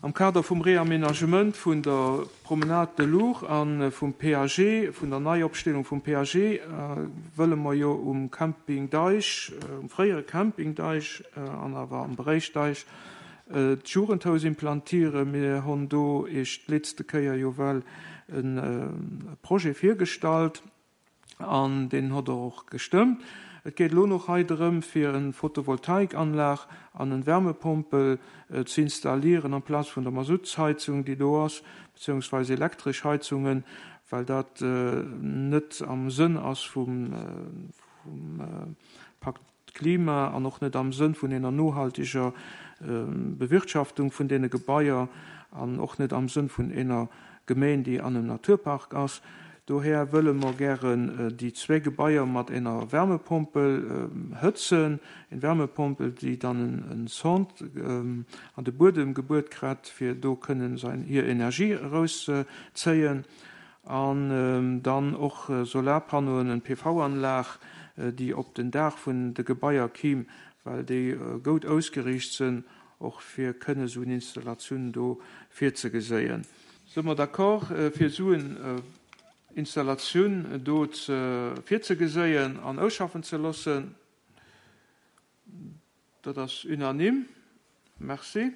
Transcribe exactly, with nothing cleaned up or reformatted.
Am Kader vum Reaménagement vun der Promenade de l'Our a vum P A G, vun der Neiopstellung vum P A G, wëlle mer jo um Camping Deich, um fréiere Camping Deich an awer am Beréich Deich, d'Jugendhaus implantieren. Mir hunn do Iech d'letzte Kéier jo well e Projet virgestallt an deen hutt Der och gestëmmt. Et geet elo nach hei drëm, fir eng Photovoltaikanlag an eng Wärmepompel ze installieren amplaz vun der Masuttsheizung, déi do ass, beziehungsweise elektresch Heizungen, well dat net am Sënn ass vum Pakt Klima an och net am Sënn vun enger nohalteger Bewirtschaftung vun deene Gebaier an och net am Sënn vun enger Gemeng, déi an engem Naturpark ass. Dohier wëlle mer gären déi zwee Gebaier mat enger Wärmepompel hëtzen, eng Wärmepompel, déi dann en Sonde an de Buedem gebuert kritt, fir do kënnen sein hir Energie erauszéien, an dann och Solarpannoen, en P V-Anlag, déi op den Daach vun de Gebaier kimm, well déi gutt ausgeriicht sinn, och fir kënne sou eng Installatioun do virzegeséien. Si mer d'accord, fir sou eng Installatioun do virzegeséien an ausschaffen ze loossen? Dat ass unanime. Merci.